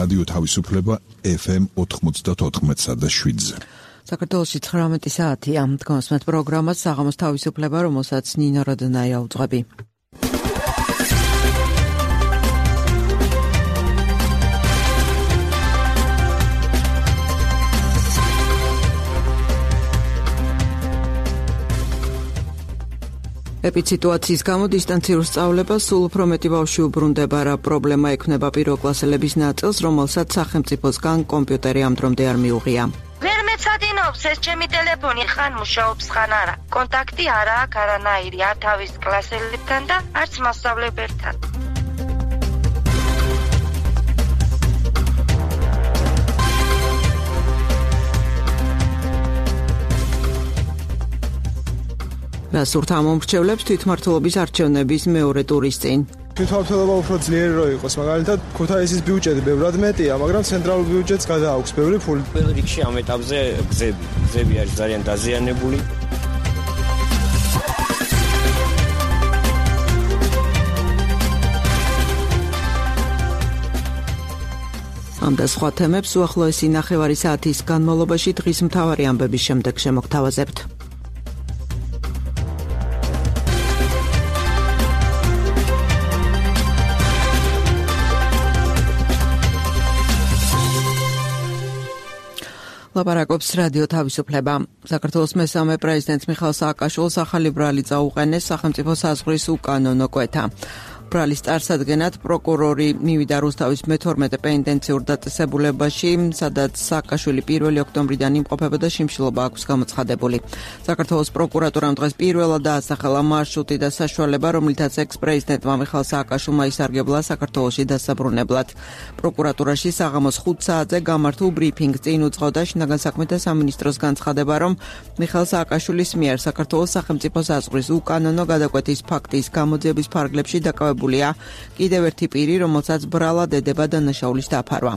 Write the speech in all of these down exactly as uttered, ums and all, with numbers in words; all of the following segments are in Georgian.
რადიო თავისუფლება ეფ ემ ოთხმოცდაოთხ და შვიდზე. საქართველოში ცხრამეტი საათია. დგომსმეთ პროგრამას საღამოს თავისუფლება, რომელსაც ნინო როდნაია უძღვები. ეპიდემიის გამო დისტანციურ სწავლებას სულ უფრო მეტი ბავშვი უბრუნდება, რა პრობლემა ექნება პირველკლასელების ნაწილს, რომელსაც სახელმწიფოსგან კომპიუტერი ამ დრომდე არ მიუღია. ვერ მეცადინობს ეს ჩემი ტელეფონი, ხან მუშაობს, ხან არა. კონტაქტი არა აქვს არანაირი, არ თავის კლასელებთან და არც მასწავლებელთან. რასურთ ამომრჩევლებს თვითმმართველობის არჩევნების მეორე ტურის წინ. თვითმმართველობა უფრო ძლიერი რო იყოს, მაგალითად ქუთაისის ბიუჯეტი ბევრად მეტია, მაგრამ ცენტრალურ ბიუჯეტს გადააქვს ბევრი ფული. პირველ რიგში ამ ეტაპზე გზები, გზები არის ძალიან დაზიანებული. ამ და სხვა თემებს უახლოესი ნახევარი საათის განმავლობაში დღის მთავარი ამბების შემდეგ შემოგთავაზებთ. ლაპარაკობს რადიო თავისუფლება. საქართველოს მესამე პრეზიდენტს მიხეილ სააკაშვილს ახალი ბრალი წაუყენეს სახელმწიფო საზღვრის უკანონო კვეთა. ბრალის წარსადგენად პროკურორი მივიდა რუსთავის მეთორმეტე პენიტენციურ დაწესებულებაში, სადაც სააკაშვილი პირველი ოქტომბრიდან იმყოფებოდა, შიმშილობა აქვს გამოცხადებული. საქართველოს პროკურატურამ დღეს პირველად დაასახელა მარშრუტი და საშუალება, რომლითაც ექს-პრეზიდენტმა მიხეილ სააკაშვილმა ისარგებლა საქართველოში დასაბრუნებლად. პროკურატურაში საღამოს ხუთ საათზე გამართულ ბრიფინგს წინ უძღოდა შინაგან საქმეთა სამინისტროს განცხადება, რომ მიხეილ სააკაშვილის მიერ საქართველოს სახელმწიფო საზღვრის უკანონო გადაკვეთის ფაქტის გამოძიების ფარგლებში დაკავებული კიდევ ერთი პირი, რომელსაც ბრალად ედება დანაშაულის დაფარვა.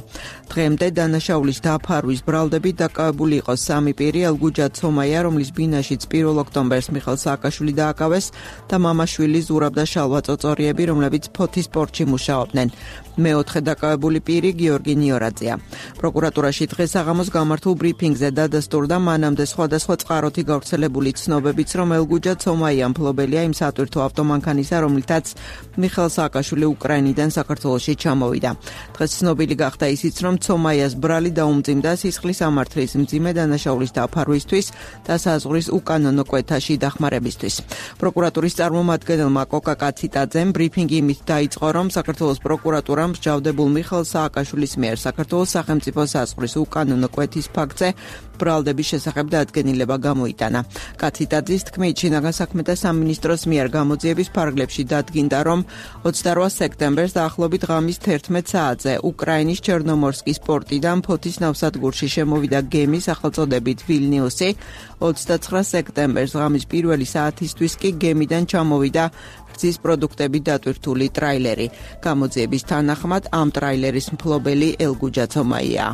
დღემდე დანაშაულის დაფარვის ბრალდებით დაკავებული იყო სამი პირი: ელგუჯა ცომაია, რომლის ბინაშიც პირველ ოქტომბერს მიხეილ სააკაშვილი დააკავეს, და მამაშვილი ზურაბ და შალვა წოწორიები, რომლებიც ფოთის სპორტში მუშაობდნენ. მეოთხე დაკავებული პირი გიორგი ნიორაძეა. პროკურატურაში დღეს საღამოს გამართულ ბრიფინგზე დადასტურდა მანამდე სხვადასხვა წყაროთი გავრცელებული ცნობებიც, რომ ელგუჯა ცომაია მფლობელია იმ სატვირთო ავტომანქანისა, რომლითაც მიხეილ სააკაშვილი უკრაინიდან საქართველოში ჩამოვიდა. დღეს ცნობილი გახდა ისიც, რომ ცომაიას ბრალი დაუმძიმდა სისხლის ამართლის მძიმე დანაშაულის დაფარვისთვის და საზღვრის უკანონო კვეთაში დახმარებისთვის. პროკურატურის წარმომადგენელმა კოკა კაციტაძემ ბრიფინგი იმით დაიწყო, რომ საქართველოს პროკურატურამ მსჯავრდებულ მიხეილ სააკაშვილის მიერ საქართველოს სახელმწიფო საზღვრის უკანონო კვეთის ფაქტზე ბრალდების შესახებ დადგენილება გამოიტანა. კაციტაძის თქმით, შინაგან საქმეთა სამინისტროს მიერ გამოძიების ფარგლებში დადგინდა, რომ ოცდარვა სექტემბერს დაახლოებით ღამის თერთმეტ საათზე უკრაინის ჩერნომორსკის პორტიდან ფოთის ნავსადგურში შემოვიდა გემი სახელწოდებით ვილნიუსი. ოცდაცხრა სექტემბერს ღამის პირველი საათისთვის კი გემიდან ჩამოვიდა გზის პროდუქტები დატვირთული ტრაილერი. გამოძიების თანახმად ამ ტრაილერის მფლობელი ელგუჯა ცომაია.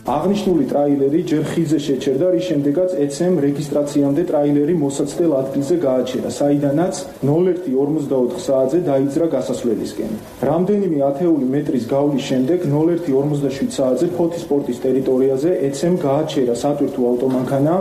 აღნიშნული ტრაილერი ჯერ ხიდზე შეჩერდა, რის შემდეგაც ეცემ რეგისტრაციამდე ტრაილერი მოსაცდელ ადგილზე გააჩერა, საიდანაც ნულ ერთი ორმოცდაოთხ საათზე დაიძრა გასასვლელისკენ. რამდენიმე ათეული მეტრის გავლის შემდეგ ნულ ერთი ორმოცდაშვიდ საათზე ფოთის პორტის ტერიტორიაზე ეცემ გააჩერა სატვირთო ავტომანქანა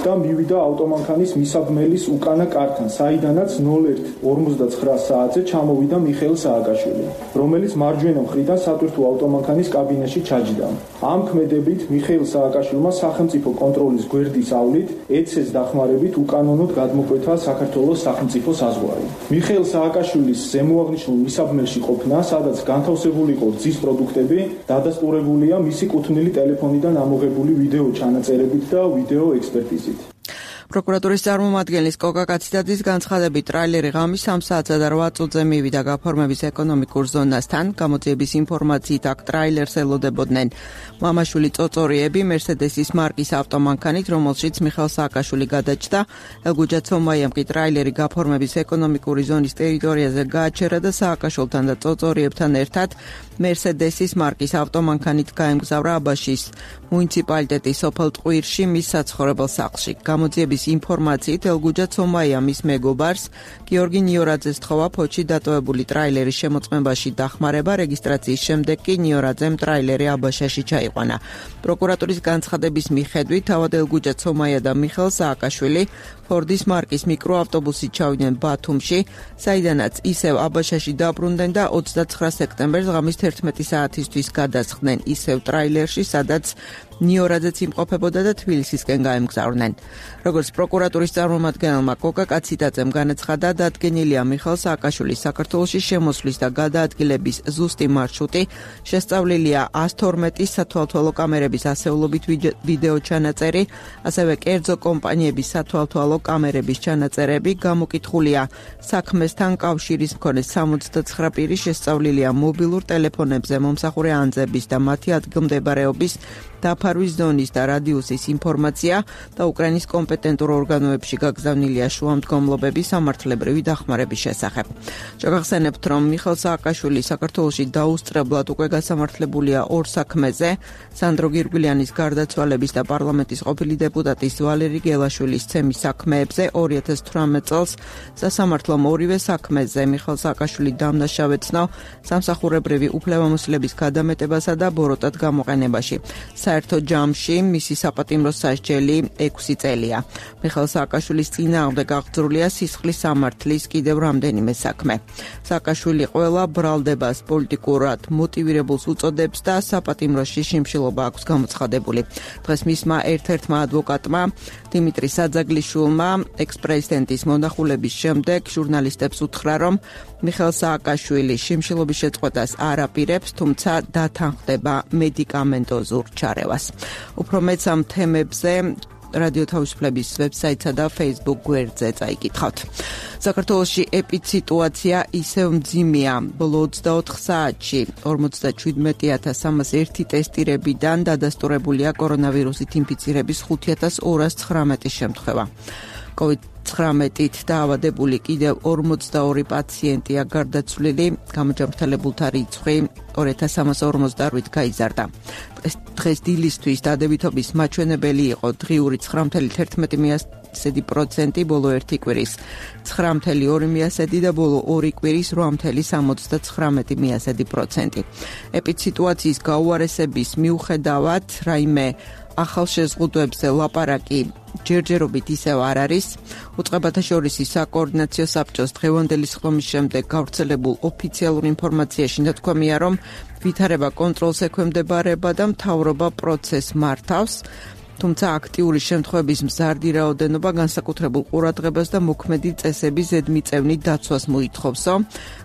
და მივიდა ავტომანქანის მისაბმელის უკანა კართან, საიდანაც ნულ ერთი ორმოცდაცხრა საათზე ჩამოვიდა მიხეილ სააკაშვილი, რომელიც მარჯვენა მხრიდან სატვირთო ავტომანქანის კაბინაში ჩაჯდა. ამ ქმედებით მიხეილ სააკაშვილმა სახელმწიფო კონტროლის გვერდის ავლით ეცეს დახმარებით უკანონოდ გადმოკვეთა საქართველოს სახელმწიფო საზღვარი. მიხეილ სააკაშვილის ზემოაღნიშნულ მისაბმელში ყოფნა, სადაც განთავსებული იყო გზის პროდუქტები, დადასტურებულია მისი კუთვნილი ტელეფონიდან ამოღებული ვიდეო ჩანაწერებით და ვიდეო ექსპერტიზით. პროკურატურის წარმომადგენლის კოკა კაციტაძის განცხადებით, ტრაილერი ღამის სამ საათსა და რვა წუთზე მივიდა გაფორმების ეკონომიკურ ზონასთან. გამოძიების ინფორმაციით, აქ ტრაილერს ელოდებოდნენ მამაშვილი წოწორიები მერსედესის მარკის ავტომანქანით, რომელშიც მიხეილ სააკაშვილი გადაჭდა. ელგუჯა ცომაიამ კი ტრაილერი გაფორმების ეკონომიკური ზონის ტერიტორიაზე გააჩერა და სააკაშვილთან და წოწორიებთან ერთად მერსედესის მარკის ავტომანქანით გაემგზავრა აბაშის მუნიციპალიტეტის სოფელ ტყვირში მის საცხოვრებელ სახლში. გამოძიების მიღების ინფორმაციით ელგუჯა ცომაია მის მეგობარს გიორგი ნიორაძეს თხოვა ფოთში დატოვებული ტრაილერის შემოწმებაში დახმარება, რეგისტრაციის შემდეგ კი ნიორაძემ ტრაილერი აბაშაში ჩაიყვანა. პროკურატურის განცხადების მიხედვით თავად ელგუჯა ცომაია და მიხელ სააკაშვილი ფორდის მარკის მიკროავტობუსით ჩავიდნენ ბათუმში, საიდანაც ისევ აბაშაში დაბრუნდნენ და ოცდაცხრა სექტემბერს ღამის თერთმეტი საათისთვის გადასხდნენ ისევ ტრაილერში, სადაც ნიორაძეც იმყოფებოდა და თბილისისკენ გაემგზავრნენ. როგორც პროკურატურის წარმომადგენელმა კოკა კაციტაძემ განაცხადა, დადგენილია მიხელ სააკაშვილის საქართველოში შემოსვლის და გადაადგილების ზუსტი მარშრუტი, შესწავლილია ას თორმეტი სათვალთვალო კამერების ასეულობით ვიდეო ჩანაწერი, ასევე კერძო კომპანიების სათვალთვალო კამერების ჩანაწერები, გამოკითხულია საქმესთან კავშირის მქონე სამოცდაცხრა პირი, შესწავლილია მობილურ ტელეფონებზე მომსახურე ანძების და მათი ადგილმდებარეობის დაფარვის ზონის და რადიუსის ინფორმაცია და უკრაინის კომპეტენტურ ორგანოებში გაგზავნილია შუამდგომლობები სამართლებრივი დახმარების შესახებ. შეგახსენებთ, რომ მიხელ სააკაშვილი საქართველოში დაუსწრებლად უკვე გასამართლებულია ორ საქმეზე, სანდრო გირგვლიანის გარდაცვალების და პარლამენტის ყოფილი დეპუტატის ვალერი გელაშვილის ცემის საქმეებზე ორი ათას თვრამეტ წელს სასამართლომ ორივე საქმეზე მიხელ სააკაშვილი დამნაშავეცნო სამსახურებრივი უფლებამოსილების გადამეტებასა და ბოროტად გამოყენებაში. საერთო ჯამში მისი საპატიმრო სასჯელი ექვსი წელია. მიხელ სააკაშვილის წინააღმდეგ აღძრულია სისხლის სამართლის კიდევ რამდენიმე საქმე. სააკაშვილი ყველა ბრალდებას პოლიტიკურად მოტივირებულს უწოდებს და საპატიმროში შიმშილობა აქვს გამოცხადებული. დღეს მისმა ერთ-ერთმა ადვოკატმა დიმიტრი საძაგლიშვილმა ექს-პრეზიდენტის მონახულების შემდეგ ჟურნალისტებს უთხრა, რომ მიხელ სააკაშვილი შიმშილობის შეწყვეტას არ აპირებს, თუმცა დათანხმდება მედიკამენტოზურ ჩარევას. უფრო მეც ამ თემებზე რადიო თავისუფლების ვებსაიტსა და Facebook გვერდზე წაიკითხავთ. საქართველოში ეპიდსიტუაცია ისევ მძიმეა. ბოლო ოცდაოთხ საათში ორმოცდაჩვიდმეტი ათას სამას ერთი ტესტირებიდან დადასტურებულია კორონავირუსით ინფიცირების ხუთი ათას ორას ცხრამეტი შემთხვევა. კოვიდ ცხრამეტით დაავადებული კიდევ ორმოცდაორი პაციენტია გარდაცვლილი, გამოჯანმრთელებულთა რიცხვი ორი ათას სამას ორმოცდაორი გაიზარდა. დღეს დილისთვის დადებითობის მაჩვენებელი იყო დღიური ცხრა virgulă თერთმეტი პროცენტი, ბოლო ერთი კვირის ცხრა virgulă ორი პროცენტი და ბოლო ორი კვირის რვა virgulă სამოცდაცხრამეტი პროცენტი. ეპიდსიტუაციის გაუარესების მიუხედავად, რაიმე ახალ შეზღუდვებზე ლაპარაკი ჯერჯერობით ისევ არ არის. უწყებათა შორის საკოორდინაციო საბჭოს დღევანდელი სხდომის შემდეგ გავრცელებულ ოფიციალურ ინფორმაციაში ნათქვამია, რომ ვითარება კონტროლს ექვემდებარება და მთავრობა პროცესს მართავს. თუმცა აქტიური შემთხვევების მზარდი რაოდენობა განსაკუთრებულ ყურადღებას და მოქმედი წესების ზედმიწევნით დაცვას მოითხოვსო.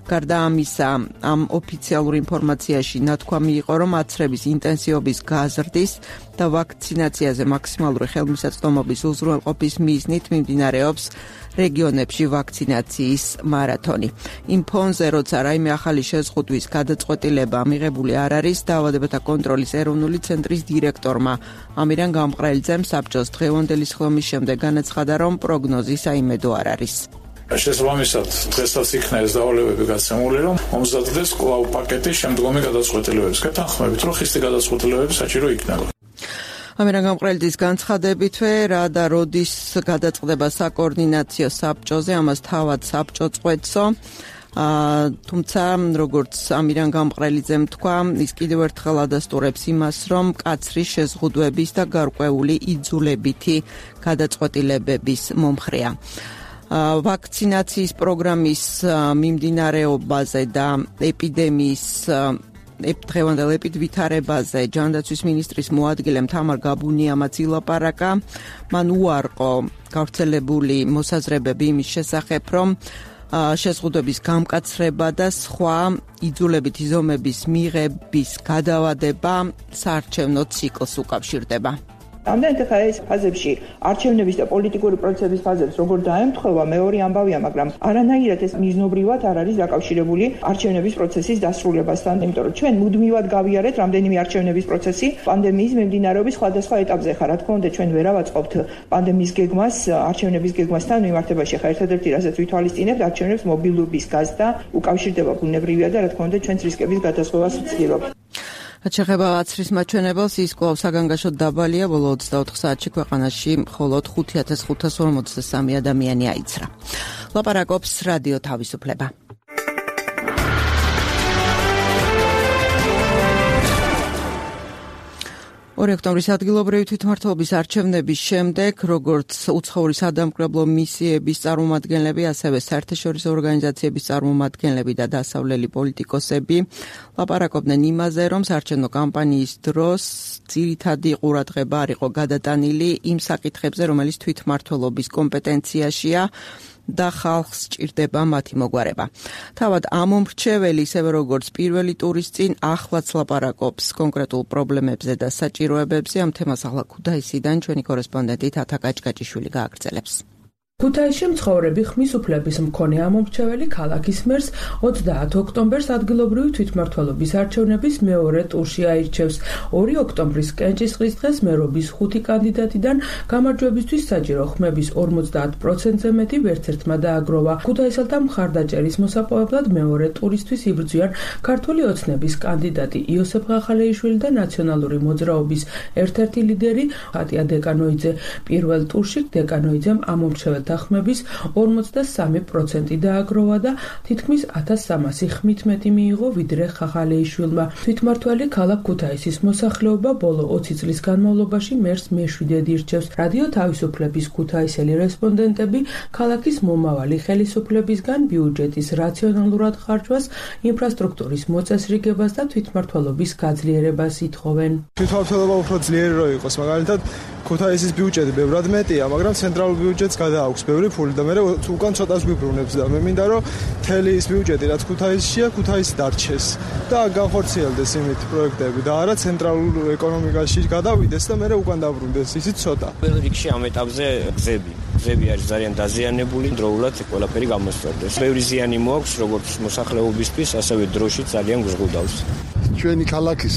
გარდა ამისა, ამ ოფიციალურ ინფორმაციაში ნათქვამი იყო, რომ აცრების ინტენსივობის გაზრდის და ვაქცინაციაზე მაქსიმალური ხელმისაწვდომობის უზრუნველყოფის მიზნით მიმდინარეობს რეგიონებში ვაქცინაციის მარათონი. იმ ფონზე, როცა რაიმე ახალი შეზღუდვის გადაწყვეტილება მიღებული არ არის, დაავადებათა კონტროლის ეროვნული ცენტრის დირექტორმა ამირან გამყრელიძემ საბჭოს დღევანდელი სხდომის შემდეგ განაცხადა, რომ პროგნოზი საიმედო არ არის. შესაბამისად, დღესაც იქნა ეს დავალებები გაცემული, რომ მომზადდეს კვლავ პაკეტი შემდგომი გადაწყვეტილებების გეთანხმებით, რომ ხისტი გადაწყვეტილებები საჭირო იქნება. ამირან გამყრელიძის განცხადებითვე რა და როდის გადაწყდება საკოორდინაციო საბჭოზე, ამას თავად საბჭო წყვეტსო. თუმცა, როგორც ამირან გამყრელიძემ თქვა, ის კიდევ ერთხელ ადასტურებს იმას, რომ მკაცრი შეზღუდვების და გარკვეული იძულებითი გადაწყვეტილებების მომხრეა. ვაქცინაციის პროგრამის მიმდინარეობაზე და ეპიდემიის დღევანდელ ეპიდვითარებაზე ჯანდაცვის მინისტრის მოადგილემ თამარ გაბუნიამაც ილაპარაკა. მან უარყო გავრცელებული მოსაზრებები იმის შესახებ, რომ შეზღუდვების გამკაცრება და სხვა იძულებითი ზომების მიღების გადავადება საარჩევნო ციკლს უკავშირდება. ამდენად ხა ეს ფაზებში არჩევნების და პოლიტიკური პროცესების ფაზებს როგორ დაემთხვევა მეორე ამბავია, მაგრამ არანაირად ეს მიზნობრივად არ არის დაკავშირებული არჩევნების პროცესის დასრულებასთან, იმიტომ რომ ჩვენ მუდმივად გავიარეთ რამდენიმე არჩევნების პროცესი პანდემიის მიმდინარეობის სხვადასხვა ეტაპზე. ხა რა თქმა უნდა, ჩვენ ვერ ავაწყობთ პანდემიის გეგმას არჩევნების გეგმასთან მიმართებაში. ხა ერთადერთი რასაც ვითვალისწინებთ, არჩევნებს მობილურობის გაზრდა უკავშირდება ბუნებრივია და რა თქმა უნდა, ჩვენს რისკების გადასხვევას ვცდილობთ. რაც შეეხება აცრის მაჩვენებელს, ის კვლავ საგანგაშოდ დაბალია, ბოლო ოცდაოთხ საათში ქვეყანაში მხოლოდ ხუთი ათას ხუთას ორმოცდასამი ადამიანი აიცრა. ლაპარაკობს რადიო თავისუფლება. ორი ოქტომბრის ადგილობრივი თვითმმართველობის არჩევნების შემდეგ, როგორც უცხოური სადამკვირვებლო მისიების წარმომადგენლები, ასევე საერთაშორისო ორგანიზაციების წარმომადგენლები და დასავლელი პოლიტიკოსები ლაპარაკობდნენ იმაზე, რომ საარჩევნო კამპანიის დროს ძირითადი ყურადღება არ იყო გადატანილი იმ საკითხებზე, რომელიც თვითმმართველობის კომპეტენციაშია და ხალხს სჭირდება მათი მოგვარება. თავად ამომრჩეველი, ისევე როგორც პირველი ტურის წინ, ახლაც ლაპარაკობს კონკრეტულ პრობლემებზე და საჭიროებებზე. ამ თემას ახლა ქუთაისიდან ჩვენი კორესპონდენტი თათა კაჭკაჭიშვილი გააგრძელებს. ქუთაისში მცხოვრები ხმის უფლების მქონე ამომრჩეველი ქალაქის მერს ოცდაათ ოქტომბერს ადგილობრივი თვითმმართველობის არჩევნების მეორე ტურში აირჩევს. ორი ოქტომბრის კენჭისყრის დღეს მერობის ხუთი კანდიდატიდან გამარჯვებისთვის საჭირო ხმების ორმოცდაათ პროცენტზე მეტი ვერცერთმა დააგროვა. ქუთაისელთა მხარდაჭერის მოსაპოვებლად მეორე ტურისთვის იბრძვიან ქართული ოცნების კანდიდატი იოსებ ხახალეიშვილი და ნაციონალური მოძრაობის ერთ-ერთი ლიდერი ხატია დეკანოიძე. პირველ ტურში დეკანოიძემ ამომრჩეველ ხმების ორმოცდასამი პროცენტი დააგროვა და თითქმის ათას სამასი ხმით მეტი მიიღო ვიდრე ხახალეიშვილმა. თვითმმართველი ქალაქ ქუთაისის მოსახლეობა ბოლო ოცი წლის განმავლობაში მერს მეშვიდედ ირჩევს. რადიო თავისუფლების ქუთაისელი რესპონდენტები ქალაქის მომავალი ხელისუფლებისგან ბიუჯეტის რაციონალურად ხარჯვას, ინფრასტრუქტურის მოწესრიგებას და თვითმმართველობის გაძლიერებას ითხოვენ. თვითმმართველობა უფრო ძლიერი რო იყოს, მაგალითად ქუთაისის ბიუჯეტი ბევრად მეტია, მაგრამ ცენტრალურ ბიუჯეტს გადააქვს ბევრი ფული და მე უკან ცოტას გვიბრუნებს და მე მინდა რომ მთელი ის ბიუჯეტი რაც ქუთაისშია, ქუთაისი დარჩეს და განხორციელდეს იმით პროექტები და არა ცენტრალურ ეკონომიკაში გადავიდეს და მე უკან დაბრუნდეს ისიც ცოტა. პირველ რიგში ამ ეტაპზე გზები გზები არის ძალიან დაზიანებული, დროულად ყველაფერი გამოსწორდეს. ბევრი ზიანი მოაქვს როგორც მოსახლეობისთვის, ასევე დროში ძალიან გზღუდავს. ჩვენი ქალაქის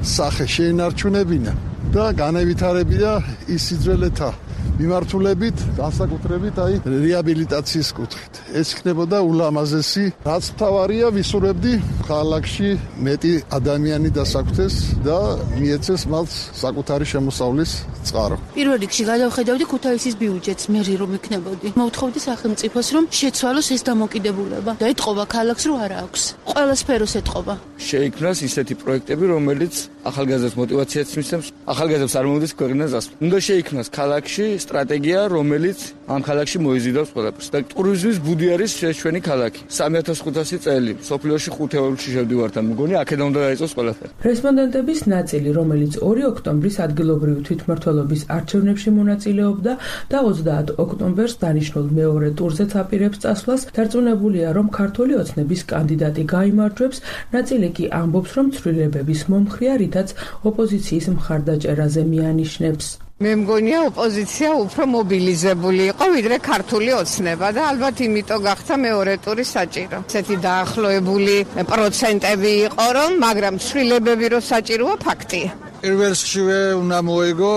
სახე შეინარჩუნებინა და განევითარებია ის სიძველეთა მიმართულებით, განსაკუთრებით აი რეაბილიტაციის კუთხით. ეს იქნებოდა ულამაზესი, რაც მთავარია, ვისურვებდი ქალაქში მეტი ადამიანი დასაკვთეს და მიეცეს მათ საკუთარი შემოსავლის წყარო. პირველ რიგში გადავხედავდი ქუთაისის ბიუჯეტს, მე რომ იქნებოდი. მოვთხოვდი სახელმწიფოს, რომ შეცვალოს ეს დამოკიდებულება და ეთყობა ქალაქს, რომ არა აქვს. ყველა სფეროს ეთყობა. შეიქმნას ისეთი პროექტები, რომელიც ახალგაზრდებს мотивაციას მისცემს, ახალგაზრდებს არ მომდის ქვეყნას გასვლა. უნდა შეიქმნას ქალაქში სტრატეგია, რომელიც ამ ქალაქში მოიზიდავს ყველაფერს. და ტურიზმის ბუდი არის ჩვენი ქალაქი. სამი ათას ხუთასი წელი, სოფლიოში ხუთ ევროში შევდივართ, ამ მგონი აქედან უნდა დაიწყოს ყველაფერი. რესპონდენტების ნაწილი, რომელიც ორი ოქტომბრის ადგილობრივი თვითმმართველობის არჩევნებში მონაწილეობდა და ოცდაათ ოქტომბერს დანიშნულ მეორე ტურზეც აპირებს წასვლას, დარწმუნებულია, რომ ქართული ოცნების კანდიდატი გაიმარჯვებს, ნაწილი კი ამბობს, რომ ცვლილებების მომხრეა, რითაც ოპოზიციის მხარდაჭერაზე მიანიშნებს. მე მგონია ოპოზიცია უფრო მობილიზებული იყო ვიდრე ქართული ოცნება და ალბათ იმიტომ გახდა მეორე ტური საჭირო. ესეთი დაახლოებული პროცენტები იყო რომ, მაგრამ ცვლილებები რო საჭიროა ფაქტია. პირველშივე უნდა მოეგო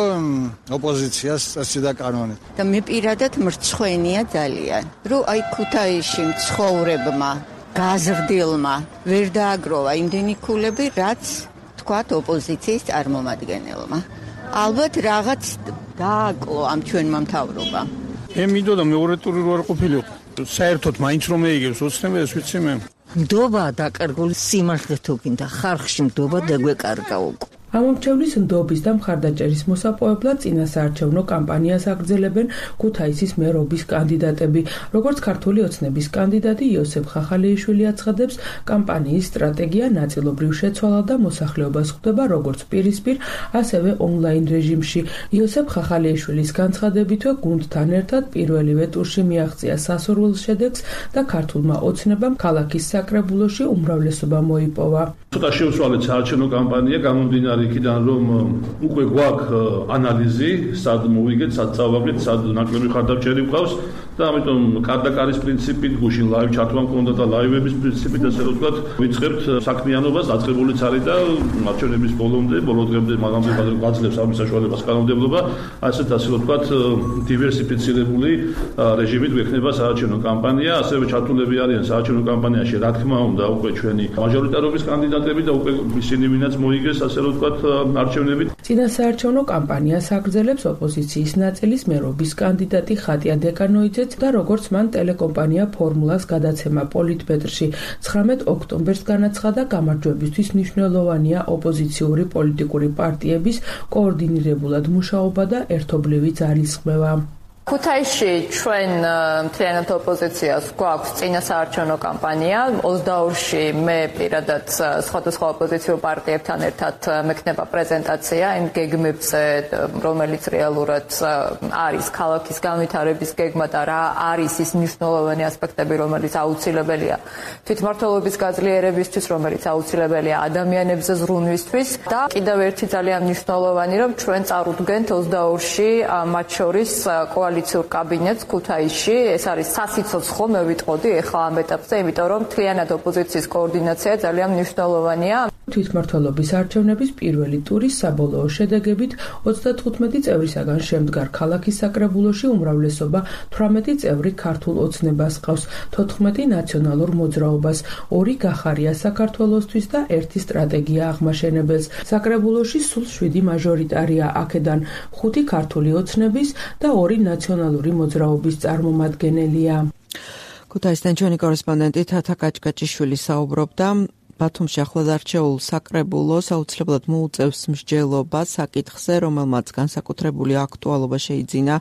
ოპოზიციას წესი და კანონი. და მე პირადად მრცხვენია ძალიან, რომ აი ქუთაისში მცხოვრებმა გაზრდილმა ვერ დააგროვა იმდენი ქულები, რაც თქვათ ოპოზიციის წარმომადგენელმა. ალბათ რაღაც დააკლო ამ ჩვენმა მთავრობამ. მე მინდოდა მეორე ტური რო არ ყოფილიყო. საერთოდ მაინც რომ მეიგებს ოცნება ეს ვიცი მე. ნდობა დაკარგული სიმართლე თუ გინდა ხალხში ნდობა დაგვეკარგა უკვე. ამომრჩევლის ნდობის და მხარდაჭერის მოსაპოვებლად წინასაარჩევნო კამპანიას აგრძელებენ ქუთაისის მერობის კანდიდატები. როგორც ქართული ოცნების კანდიდატი იოსებ ხახალეიშვილი აცხადებს, კამპანიის სტრატეგია ნაწილობრივ შეცვალა და მოსახლეობას ხვდება როგორც პირისპირ, ასევე ონლაინ რეჟიმში. იოსებ ხახალეიშვილის განცხადებითვე გუნდთან ერთად პირველივე ტურში მიაღწია სასურველ შედეგს და ქართულმა ოცნებამ ქალაქის საკრებულოში უმრავლესობა მოიპოვა. ცოტა შეუცვალეთ საარჩევნო კამპანია გამომდინარე იქიდან რომ უკვე გვაქვს ანალიზი, სად მოვიგეთ, სად წავაგეთ, სად ნაკლები ხარდამჭერი გვყავს და ამიტომ კარდაკარის პრინციპით, გუშინ ლაივ ჩართვა მქონდა და ლაივების პრინციპით ასე რომ ვთქვათ, ვიწყებთ საქმიანობას, დაწყებულიც არის და არჩევნების ბოლომდე, ბოლო დღემდე მაგამდე გაძლევს ამის საშუალებას კანონმდებლობა, ასეთ ასე რომ ვთქვათ, დივერსიფიცირებული რეჟიმით გვექნება საარჩევნო კამპანია, ასევე ჩართულები არიან საარჩევნო კამპანიაში, რა თქმა უნდა, უკვე ჩვენი მაჟორიტარობის კანდიდატები და უკვე ისინი, ვინაც მოიგეს, ასე რომ ვთქვათ, არჩევნებით. წინასაარჩევნო კამპანიას აგრძელებს ოპოზიციის ნაწილის მერობის კანდიდატი ხატია დეკანოიძეც და როგორც მან ტელეკომპანია ფორმულას გადაცემა პოლიტბეტრში ცხრამეტ ოქტომბერს განაცხადა, გამარჯვებისთვის მნიშვნელოვანია ოპოზიციური პოლიტიკური პარტიების კოორდინირებულად მუშაობა და ერთობლივი ძალისხმევა. ქუთაისში ჩვენ მთლიანად ოპოზიციას გვაქვს წინასაარჩევნო კამპანია. ოცდაორში მე პირადად სხვადასხვა ოპოზიციურ პარტიებთან ერთად მექნება პრეზენტაცია იმ გეგმებზე, რომელიც რეალურად არის ქალაქის განვითარების გეგმა და რა არის ის მნიშვნელოვანი ასპექტები, რომელიც აუცილებელია თვითმმართველობის გაძლიერებისთვის, რომელიც აუცილებელია ადამიანებზე ზრუნვისთვის და კიდევ ერთი ძალიან მნიშვნელოვანი, რომ ჩვენ წარუდგენთ ოცდაორში მათ შორის კოალიცია კოალიციურ კაბინეტს ქუთაისში. ეს არის სასიცოცხლო, მე ვიტყოდი ახლა ამ ეტაპზე, იმიტომ რომ მთლიანად ოპოზიციის კოორდინაცია ძალიან მნიშვნელოვანია. თვითმმართველობის არჩევნების პირველი ტურის საბოლოო შედეგებით ოცდათხუთმეტი წევრისაგან შემდგარ ქალაქის საკრებულოში უმრავლესობა თვრამეტი წევრი ქართულ ოცნებას ყავს, თოთხმეტი ნაციონალურ მოძრაობას, ორი გახარია საქართველოსთვის და ერთი სტრატეგია აღმაშენებელს. საკრებულოში სულ შვიდი მაჟორიტარია, აქედან ხუთი ქართული ოცნების და ორი ნაციონალური მოძრაობის წარმომადგენელია. ქუთაისიდან ჩვენი კორესპონდენტი თათა კაჭკაჭიშვილი საუბრობდა. ბათუმში ახლად არჩეულ საკრებულოს აუცილებლად მოუწევს მსჯელობა საკითხზე, რომელმაც განსაკუთრებული აქტუალობა შეიძინა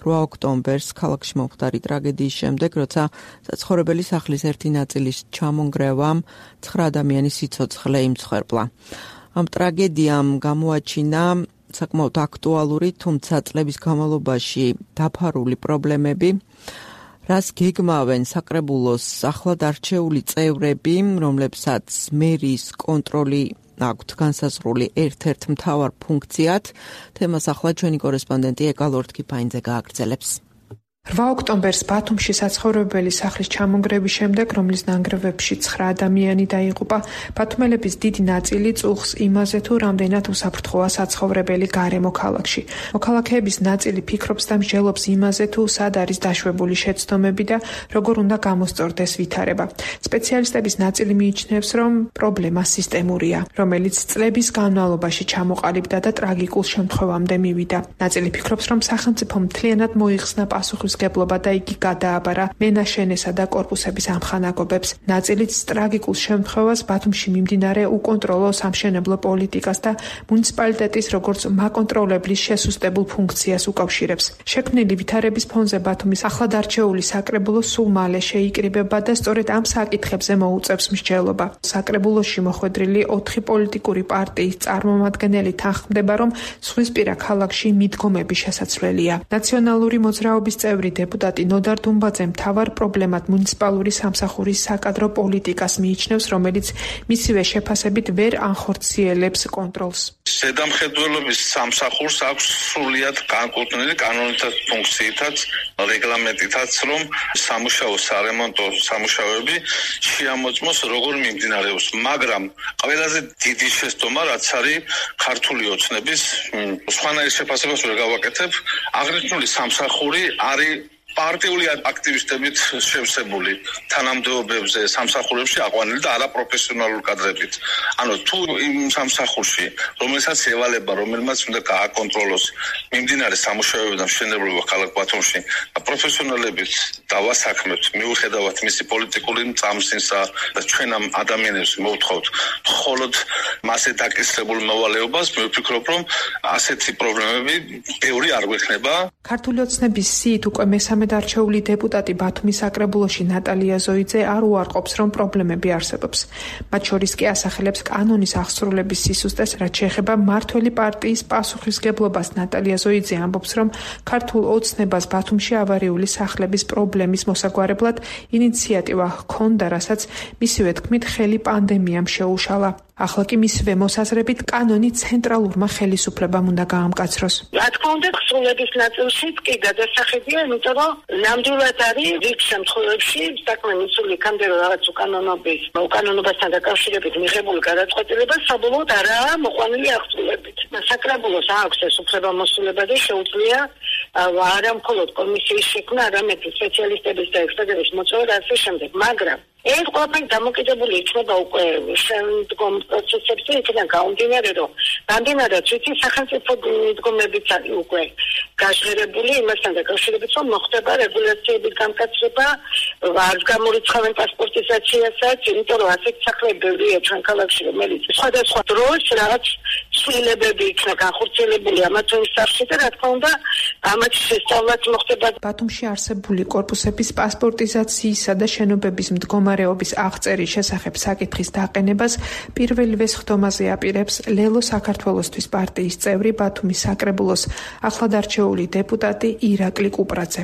რვა ოქტომბერს ქალაქში მომხდარი ტრაგედიის შემდეგ, როცა საცხოვრებელი სახლის ერთი ნაწილის ჩამონგრევამ ცხრა ადამიანის სიცოცხლე იმცხვერპლა. ამ ტრაგედიამ გამოაჩინა საკმაოდ აქტუალური, თუმცა წლების განმავლობაში დაფარული პრობლემები, რას გეგმავენ საკრებულოს ახლად არჩეული წევრები, რომლებსაც მერის კონტროლი აქვთ განსაზღვრული ერთ-ერთ მთავარ ფუნქციად. თემას ახლა ჩვენი კორესპონდენტი ეკა ლორდ-კიფაინძე გააგრძელებს. რვა ოქტომბერს ბათუმში საცხოვრებელი სახლის ჩამონგრევის შემდეგ, რომლის ნანგრევებში ცხრა ადამიანი დაიღუპა, ბათუმელების დიდი ნაწილი წუხს იმაზე, თუ რამდენად უსაფრთხოა საცხოვრებელი გარემო ქალაქში. მოქალაქეების ნაწილი ფიქრობს და მსჯელობს იმაზე, თუ სად არის დაშვებული შეცდომები და როგორ უნდა გამოსწორდეს ვითარება. სპეციალისტების ნაწილი მიიჩნევს, რომ პრობლემა სისტემურია, რომელიც წლების განმავლობაში ჩამოყალიბდა და ტრაგიკულ შემთხვევამდე მივიდა. ნაწილი ფიქრობს, რომ სახელმწიფო მთლიანად მოიხსნა პასუხის და იგი გადააბარა მენაშენესა და კორპუსების ამხანაგობებს. ნაწილიც ტრაგიკულ შემთხვევას ბათუმში მიმდინარე უკონტროლო სამშენებლო პოლიტიკას და მუნიციპალიტეტის როგორც მაკონტროლებლის შესუსტებულ ფუნქციას უკავშირებს. შექმნილი ვითარების ფონზე ბათუმის ახლად არჩეული საკრებულო სულ მალე შეიკრიბება და სწორედ ამ საკითხებზე მოუწევს მსჯელობა. საკრებულოში მოხვედრილი ოთხი პოლიტიკური პარტიის წარმომადგენელი თანხმდება, რომ ზღვისპირა ქალაქში მიდგომები შესაძლებელია. ნაციონალური მოძრაობის წევრი დეპუტატი ნოდარ დუმბაძე მთავარ პრობლემად მუნიციპალური სამსახურის საკადრო პოლიტიკას მიიჩნევს, რომელიც მისივე შეფასებით ვერ ანხორციელებს კონტროლს. ზედამხედველობის სამსახურს აქვს სრულიად განკუთვნილი კანონითაც ფუნქციითაც, რეგლამენტითაც, რომ სამუშაო სარემონტო სამუშაოები შეამოწმოს როგორ მიმდინარეობს, მაგრამ ყველაზე დიდი შეცდომა რაც არის ქართული ოცნების, სხვანაირ შეფასებას ვერ გავაკეთებ, აღნიშნული სამსახური არის პარტიული აქტივისტებით შევსებული თანამდებობებზე სამსახურებში აყვანილი და არაპროფესიონალურ კადრებით. ანუ თუ იმ სამსახურში, რომელსაც ევალება, რომელმაც უნდა გააკონტროლოს მიმდინარე სამუშაოები და მშენებლობა ქალაქ ბათუმში, პროფესიონალებით დავასაქმებთ, მიუხედავად მისი პოლიტიკური წამსინსა და ჩვენ ამ ადამიანებს მოვთხოვთ მხოლოდ მასზე დაკისრებულ მოვალეობას, მე ვფიქრობ, რომ ასეთი პრობლემები ბევრი არ გვექნება. ქართული ოცნების სიით უკვე მესამე არჩეული დეპუტატი ბათუმის საკრებულოში ნატალია ზოიძე არ უარყოფს, რომ პრობლემები არსებობს. მათ შორის კი ასახელებს კანონის აღსრულების სისუსტეს, რაც შეეხება მმართველი პარტიის პასუხისგებლობას. ნატალია ზოიძე ამბობს, რომ ქართულ ოცნებას ბათუმში ავარიული სახლების პრობლემის მოსაგვარებლად ინიციატივა ჰქონდა, რასაც მისივე თქმით ხელი პანდემიამ შეუშალა. ახლა კი მისივე მოსაზრებით კანონი ცენტრალურმა ხელისუფლებამ უნდა გაამკაცროს. რა თქმა უნდა, ქსულების ნაწილში კი გადასახედია, იმიტომ რომ ნამდვილად არის რიგ შემთხვევებში საქმე მისული იქამდე რომ რაღაც უკანონობის, უკანონობასთან დაკავშირებით მიღებული გადაწყვეტილება საბოლოოდ არაა მოყვანილი აღსრულებით. საკრებულოს აქვს ეს უფლებამოსილება და შეუძლია არა მხოლოდ კომისიის შექმნა, არამედ სპეციალისტების და ექსპერტების მოწვევა და ასე შემდეგ, მაგრამ ეს ყველაფერი დამოკიდებული იქნება უკვე შემდგომ პროცესებზე, იქიდან გამომდინარე, რომ რამდენადაც ვიცი, სახელმწიფო მიდგომებიც არის უკვე გაჟღერებული იმასთან დაკავშირებით, რომ მოხდება რეგულაციების გამკაცრება, არც გამორიცხავენ პასპორტიზაციასაც, იმიტომ რომ ასეთ სახლები ბევრია ჩვენ ქალაქში, რომელიც სხვადასხვა დროს რაღაც ცვლილებები იქნა განხორციელებული ამა თუ იმ სახლში და რა თქმა უნდა, ამათ შესწავლაც მოხდება. ბათუმში არსებული კორპუსების პასპორტიზაციისა და შენობების მდგომარეობის აღწერის შესახებ საკითხის დაყენებას პირველივე სხდომაზე აპირებს ლელო საქართველოსთვის პარტიის წევრი ბათუმის საკრებულოს ახლად არჩეული დეპუტატი ირაკლი კუპრაძე.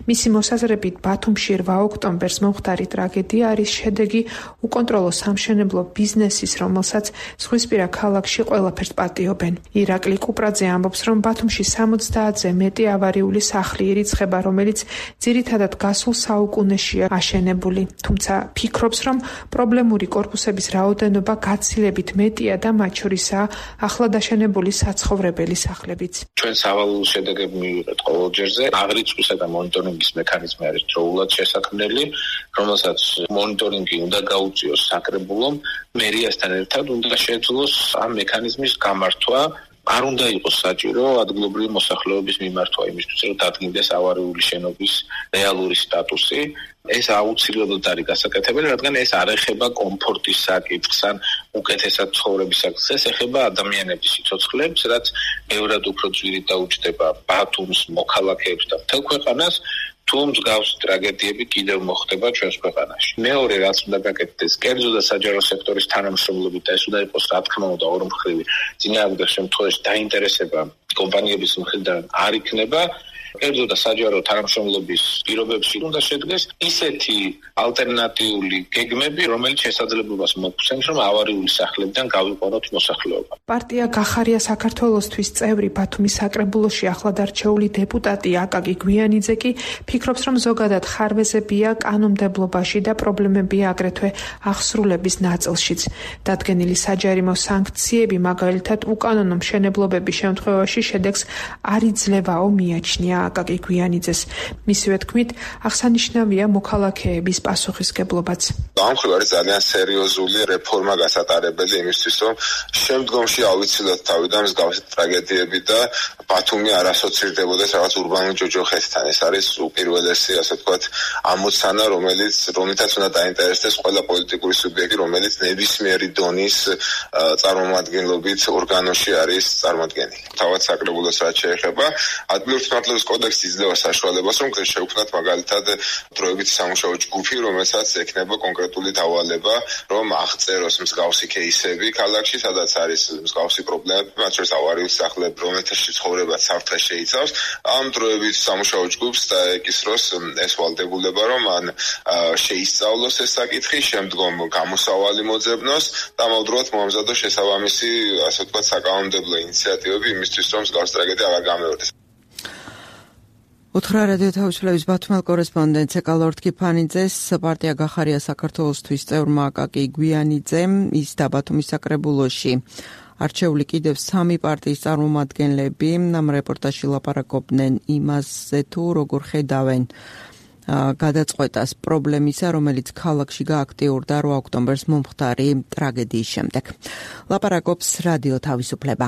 მისი მოსაზრებით ბათუმში რვა ოქტომბერს მომხდარი ტრაგედია არის შედეგი უკონტროლო სამშენებლო ბიზნესის, რომელსაც ზღვისპირა ქალაქში ყველაფერს პატიობენ. ირაკლი კუპრაძე ამბობს, რომ ბათუმში სამოცდაათზე მეტი ავარიული სახლი ირიცხება, რომელიც ძირითადად გასულ საუკუნეშია აშენებული. თუმცა ფიქრობს, რომ პრობლემური კორპუსების რაოდენობა გაცილებით მეტია და მათ შორისაა ახლად აშენებული საცხოვრებელი სახლებიც. ჩვენ სავალალო შედეგები მივიღეთ ყოველ ჯერზე. აღრიცხვისა და მონიტორინგის მექანიზმი არის დროულად შესაქმნელი, რომელსაც მონიტორინგი უნდა გაუწიოს საკრებულომ, მერიასთან ერთად უნდა შეძლოს ამ მექანიზმის გამართვა. არ უნდა იყოს საჭირო ადგილობრივი მოსახლეობის მიმართვა იმისთვის, რომ დადგინდეს ავარიული შენობის რეალური სტატუსი. ეს აუცილებლად არის გასაკეთებელი, რადგან ეს არ ეხება კომფორტის საკითხს ან უკეთესად ცხოვრების საკითხს, ეს ეხება ადამიანების სიცოცხლებს, რაც ბევრად უფრო ძვირით დაუჯდება ბათუმს, მოქალაქეებს და მთელ ქვეყანას. თუ მსგავსი ტრაგედიები კიდევ მოხდება ჩვენს ქვეყანაში. მეორე, რაც უნდა გაკეთდეს, კერძო და საჯარო სექტორის თანამშრომლობით და ეს უნდა იყოს, რა თქმა უნდა, ორმხრივი, წინააღმდეგ შემთხვევაში დაინტერესება კომპანიების მხრიდან არ იქნება. კერძო და საჯარო თანამშრომლობის პირობებში უნდა შედგეს ისეთი ალტერნატიული გეგმები, რომელიც შესაძლებლობას მოგცემს, რომ ავარიული სახლებიდან გავიყვანოთ მოსახლეობა. პარტია გახარია საქართველოსთვის წევრი ბათუმის საკრებულოში ახლად არჩეული დეპუტატი აკაკი გვიანიძე კი ფიქრობს, რომ ზოგადად ხარვეზებია კანონმდებლობაში და პრობლემებია აგრეთვე აღსრულების ნაწილშიც. დადგენილი საჯარიმო სანქციები, მაგალითად უკანონო მშენებლობების შემთხვევაში შედეგს არ იძლევაო მიაჩნია აკაკი გვიანიძეს. მისივე თქმით, აღსანიშნავია მოქალაქეების პასუხისგებლობაც. ამ მხრივ არის ძალიან სერიოზული რეფორმა გასატარებელი იმისთვის, რომ შემდგომში ავიცილოთ თავიდან მსგავსი ტრაგედიები და ბათუმი არ ასოცირდებოდეს რაღაც ურბანულ ჯოჯოხეთთან. ეს არის უპირველესი, ასე ვთქვათ, ამოცანა, რომელიც რომლითაც უნდა დაინტერესდეს ყველა პოლიტიკური სუბიექტი, რომელიც ნებისმიერი დონის წარმომადგენლობით ორგანოში არის წარმოდგენილი. თავად საკრებულოს რაც შეეხება, ადგილობრივი მართლობის კოდექსი იძლევა საშუალებას, რომ შევქმნათ მაგალითად დროებითი სამუშაო ჯგუფი, რომელსაც ექნება კონკრეტული დავალება, რომ აღწეროს მსგავსი кейსები ქალაქში, სადაც არის მსგავსი პრობლემები, მათ შორის ავარიული სახლები, რომელთაში ცხოვრება საფრთხე შეიცავს. ამ დროებითი სამუშაო ჯგუფს დაეკისროს ეს ვალდებულება, რომ მან შეისწავლოს ეს საკითხი, შემდგომ გამოსავალი მოძებნოს და ამავდროულად მოამზადოს შესაბამისი, ასე ვთქვათ, საკანონმდებლო ინიციატივები იმისთვის, რომ მსგავსი ტრაგედია აღარ გამეორდეს. უთხრა რადიო თავისუფლების ბათუმელ კორესპონდენტს ეკალორდ კიფანიძეს პარტია გახარია საქართველოსთვის წევრმა აკაკი გვიანიძემ ის და ბათუმის საკრებულოში არჩეული კიდევ სამი პარტიის წარმომადგენლები ამ რეპორტაჟში ლაპარაკობდნენ იმაზე თუ როგორ ხედავენ გადაწყვეტას პრობლემისა, რომელიც ქალაქში გააქტიურდა რვა ოქტომბერს მომხდარი ტრაგედიის შემდეგ. ლაპარაკობს რადიო თავისუფლება.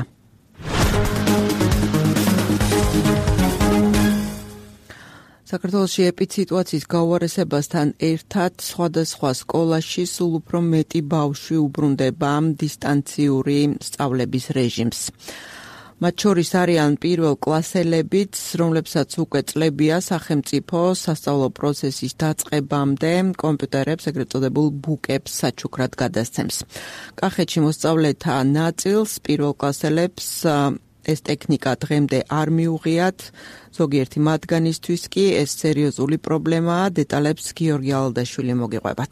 საქართველოში ეპიდსიტუაციის გაუარესებასთან ერთად სხვადასხვა სკოლაში სულ უფრო მეტი ბავშვი უბრუნდება დისტანციური სწავლების რეჟიმს. მათ შორის არიან პირველ კლასელებიც, რომლებსაც უკვე წლებია სახელმწიფო სასწავლო პროცესის დაწყებამდე კომპიუტერებს, ეგრეთ წოდებულ ბუკებს საჩუქრად გადასცემს. კახეთში მოსწავლეთა ნაწილს პირველ კლასელებს ეს ტექნიკა დღემდე არ მიუღიათ, ზოგიერთი მათგანისთვის კი ეს სერიოზული პრობლემაა, დეტალებს გიორგი ალდაშვილი მოგიყვებათ.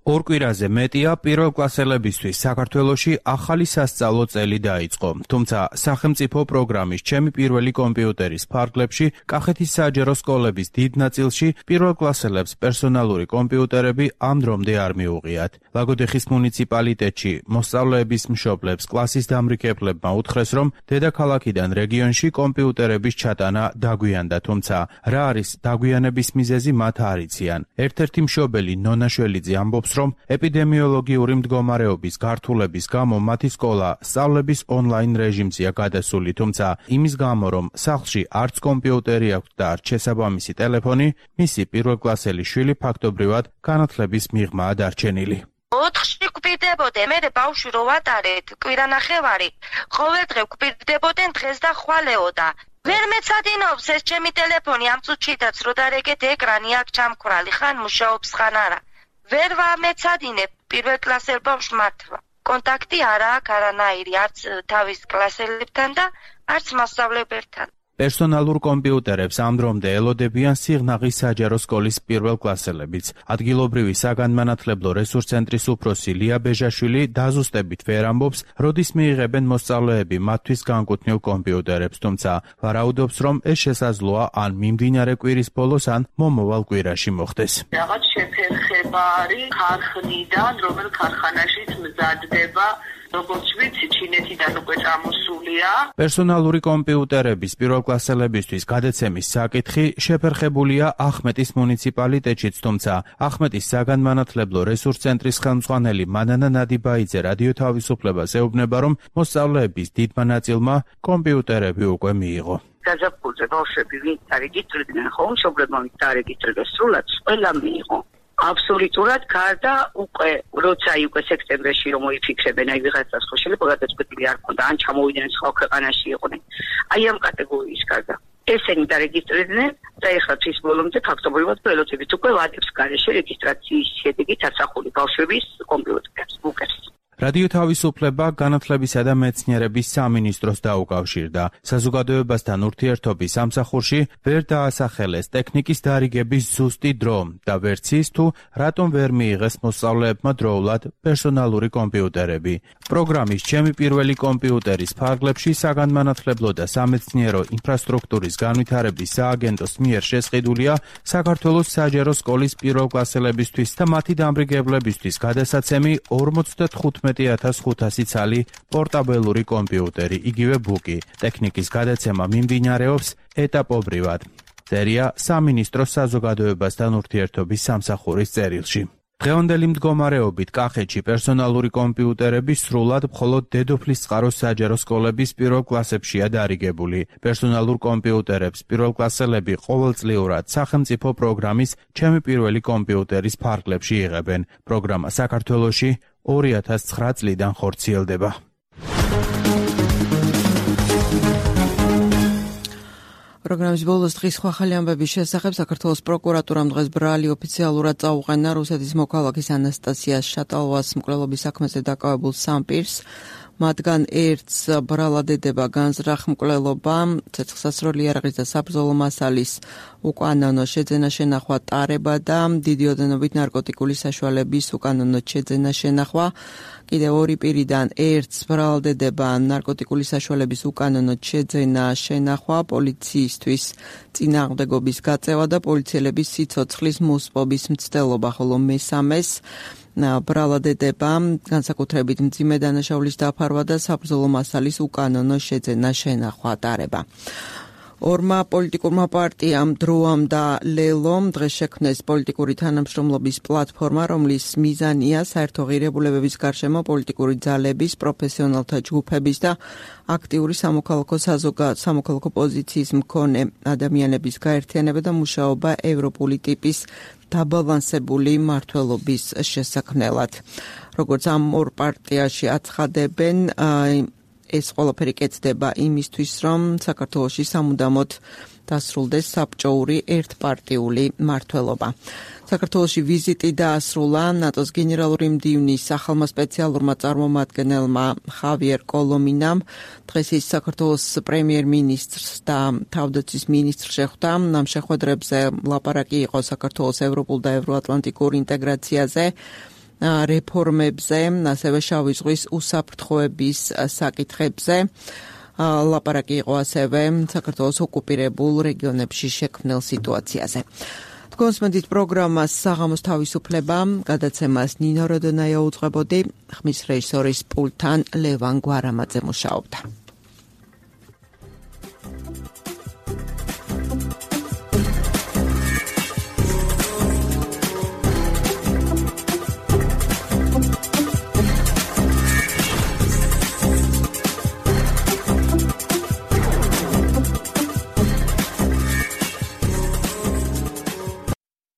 ორ კვირაზე მეტია პირველკლასელებისთვის საქართველოში ახალი სასწავლო წელი დაიწყო, თუმცა სახელმწიფო პროგრამის ჩემი პირველი კომპიუტერის ფარგლებში კახეთის საჯარო სკოლების დიდ ნაწილში პირველკლასელებს პერსონალური კომპიუტერები ამ დრომდე არ მიუღიათ. ლაგოდეხის მუნიციპალიტეტში მოსწავლეების მშობლებს კლასის დამრიგებლებმა უთხრეს, რომ დედაქალაქიდან რეგიონში კომპიუტერების ჩატანა დაგვიანდა, თუმცა რა არის დაგვიანების მიზეზი მათ არ იციან. ერთ-ერთი მშობელი ნონა შველიძე ამბობს, რომ ეპიდემიოლოგიური მდგომარეობის გართულების გამო მათი სკოლა სწავლების ონლაინ რეჟიმზეა გადასული, თუმცა იმის გამო, რომ სახლში არც კომპიუტერი აქვს და არც შესაბამისი ტელეფონი, მისი პირველკლასელი შვილი ფაქტობრივად განათლების მიღმაა დარჩენილი. ოთხში გვპირდებოდე, მე ბავშვი რო ვატარეთ კვირანახევარი, ყოველ დღე გვპირდებოდნენ დღეს და ხვალეოდა. ვერ მეცადინობს ეს ჩემი ტელეფონი ამ წუთშიდაც რო დარეგეთ ეკრანი აქ ჩამქრალი, ხან მუშაობს ხან არა. ვერ ვამეცადინებ პირველ კლასელ ბავშვს მართლა. კონტაქტი არა აქვს არანაირი, არც თავის კლასელებთან და არც მასწავლებელთან. პერსონალურ კომპიუტერებს ამ დრომდე ელოდებიან სიღნაღის საჯარო სკოლის პირველკლასელებიც. ადგილობრივი საგანმანათლებლო რესურს ცენტრის უფროსი ლია ბეჟაშვილი დაზუსტებით ვერ ამბობს, როდის მიიღებენ მოსწავლეები მათთვის განკუთვნილ კომპიუტერებს, თუმცა ვარაუდობს, რომ ეს შესაძლოა ან მიმდინარე კვირის ბოლოს, ან მომავალ კვირაში მოხდეს. რაღაც შეფერხება არის ქარხნიდან, რომელ ქარხანაშიც მზადდება, როგორც ვიცი, ჩინეთიდან უკვე წამოსულია. პერსონალური კომპიუტერების პირველკლასელებისთვის გადაცემის საკითხი შეფერხებულია ახმეტის მუნიციპალიტეტშიც, თუმცა ახმეტის საგანმანათლებლო რესურს ცენტრის ხელმძღვანელი მანანა ნადიბაიძე რადიო თავისუფლებას ეუბნება, რომ მოსწავლეების დიდმა ნაწილმა კომპიუტერები უკვე მიიღო. გაზაფხულზე ბავშვები ვინც დარეგისტრირდნენ, ხო, მშობლებმა ვინც დარეგისტრირდეს სრულად, ყველა მიიღო. აბსოლუტურად გარდა უკვე როცა უკვე სექტემბერში რომ მოიფიქრებენ აი ვიღაცას ხო შეიძლება გადაწყვეტილი არ ქონდა ან ჩამოვიდნენ სხვა ქვეყანაში იყვნენ აი ამ კატეგორიის გარდა ესენი დარეგისტრირდნენ და ეხლა თვის ბოლომდე ფაქტობრივად ველოდებით უკვე ვადებს გარეშე რეგისტრაციის შედეგით ასახული ბავშვების კომპიუტერებს ბუკებს. რადიო თავისუფლება განათლებისა და მეცნიერების სამინისტროს დაუკავშირდა. საზოგადოებასთან ურთიერთობის სამსახურში ვერ დაასახელეს ტექნიკის დარიგების ზუსტი დრო და ვერც ის თუ რატომ ვერ მიიღეს მოსწავლეებმა დროულად პერსონალური კომპიუტერები. პროგრამის ჩემი პირველი კომპიუტერის ფარგლებში საგანმანათლებლო და სამეცნიერო ინფრასტრუქტურის განვითარების სააგენტოს მიერ შესყიდულია საქართველოს საჯარო სკოლის პირველკლასელებისთვის და მათი დამრიგებლებისთვის გადასაცემი ორმოცდათხუთმეტი ათას ხუთასი ცალი პორტაბელური კომპიუტერი, იგივე ბუკი. ტექნიკის გადაცემა მიმდინარეობს ეტაპობრივად. წერია სამინისტროს საზოგადოებასთან ურთიერთობის სამსახურის წერილში. დღევანდელი მდგომარეობით კახეთში პერსონალური კომპიუტერები სრულად მხოლოდ დედოფლისწყაროს საჯარო სკოლების პირველ კლასებშია დარიგებული. პერსონალურ კომპიუტერებს პირველკლასელები ყოველწლიურად სახელმწიფო პროგრამის ჩემი პირველი კომპიუტერის ფარგლებში იღებენ. პროგრამა საქართველოში ორი ათას ცხრა წლიდან ხორციელდება. პროგრამის ბოლოს დღის სხვა ახალი ამბების შესახებ საქართველოს პროკურატურამ დღეს ბრალი ოფიციალურად წაუყენა რუსეთის მოქალაქის ანასტასია შატალოვას მკვლელობის საქმეზე დაკავებულ სამ პირს. მათგან ერთს ბრალადედება განზრახ მკვლელობა, ცეცხლსასროლი იარაღის და საბრძოლო მასალის უკანონო შეძენა შენახვა ტარება და დიდი ოდენობით ნარკოტიკული საშუალების უკანონო შეძენა შენახვა. კიდევ ორი პირიდან ერთს ბრალადედება ნარკოტიკული საშუალების უკანონო შეძენა შენახვა, პოლიციისთვის წინააღმდეგობის გაწევა და პოლიციელების სიცოცხლის მოსპობის მცდელობა, ხოლო მესამეს ბრალადედება განსაკუთრებით მძიმე დანაშაულის დაფარვა და საბრძოლო მასალის უკანონო შეძენა შენახვა ტარება. ორმა პოლიტიკურმა პარტიამ დროამ და ლელომ დღეს შექმნეს პოლიტიკური თანამშრომლობის პლატფორმა, რომლის მიზანია საერთო ღირებულებების გარშემო პოლიტიკური ძალების, პროფესიონალთა ჯგუფების და აქტიური სამოქალაქო სამოქალაქო პოზიციის მქონე ადამიანების გაერთიანება და მუშაობა ევროპული ტიპის დაბალანსებული მმართველობის შესაქმნელად. როგორც ამ ორ პარტიაში აცხადებენ, ეს ყველაფერი კეთდება იმისთვის, რომ საქართველოში სამუდამოდ დასრულდეს საბჭოური ერთპარტიული მმართველობა. საქართველოში ვიზიტი დაასრულა ნატოს გენერალური მდივნის ახალმა სპეციალურმა წარმომადგენელმა ხავიერ კოლომინამ. დღეს ის საქართველოს პრემიერ-მინისტრს და თავდაცვის მინისტრს შეხვდა. ამ შეხვედრებზე ლაპარაკი იყო საქართველოს ევროპულ და ევროატლანტიკურ ინტეგრაციაზე რეფორმებზე, ასევე შავი ზღვის უსაფრთხოების საკითხებზე. ლაპარაკი იყო ასევე საქართველოს ოკუპირებულ რეგიონებში შექმნილ სიტუაციაზე. კონსმენტის პროგრამას საღამოს თავისუფლება გადაცემას ნინო როდონაია უძღვებოდი, ხმის რეჟისორის პულტთან ლევან გვარამაძე მუშაობდა.